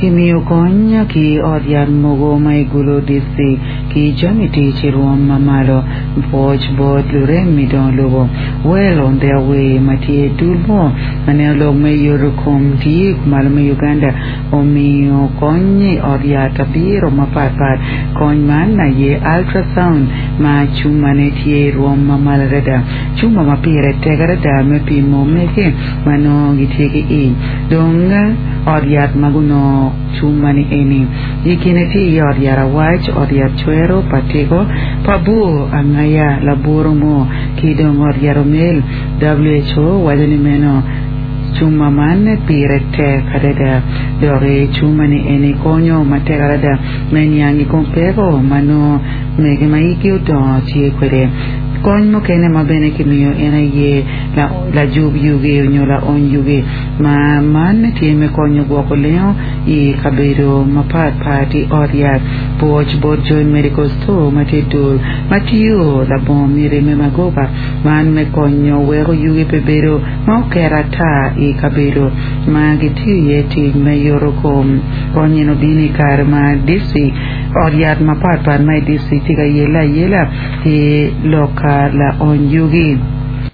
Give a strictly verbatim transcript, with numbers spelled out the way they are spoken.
Kimiyo kony ki ot yat mogo ma i Gulu District ki jami tic i rwom ma malo. Pwoc bot lurem i dongo lobo. Well on their way ma tye dul mo ma neno lok me yoto kom tye kumalo me Uganda omiyo kony i ot yat abiro mapatpat. Kony man aye ultrasound ma cumane tye i rwom ma malo adada. Cuma ma pire tek adada me pimo mege ma nongo gitye ki ic. Dong ot yat ma gunongo cuma ni eni. I kine tye iye ot yat awac, ot yat cwero, patiko, pa bur, angaya, laburu mo, ki dong ot yat omel. WHO waco ni meno cuma man pire tek adada. Dok cuma ni eni konyo matek adada me niang i kom peko ma nongo mege ma igi odongo tye kwede. Kony mukene ma bene kimiyo en aye lajub yugi onyo laony yugi ma man tye me konyo gwoko lengo i kabedo mapatpat i ot yat. Pwoc bot Joint Medical Store ma tye dul ma tiyo labongo miti me magoba man me konyo weko yugi pe bedo ma oket ata i kabedo ma gitiyo iye tic me yoto kom. Kony eno bino i kare ma district ot yat mapatpat ma i district tye ka yele ayela ki lok ka laony yugi.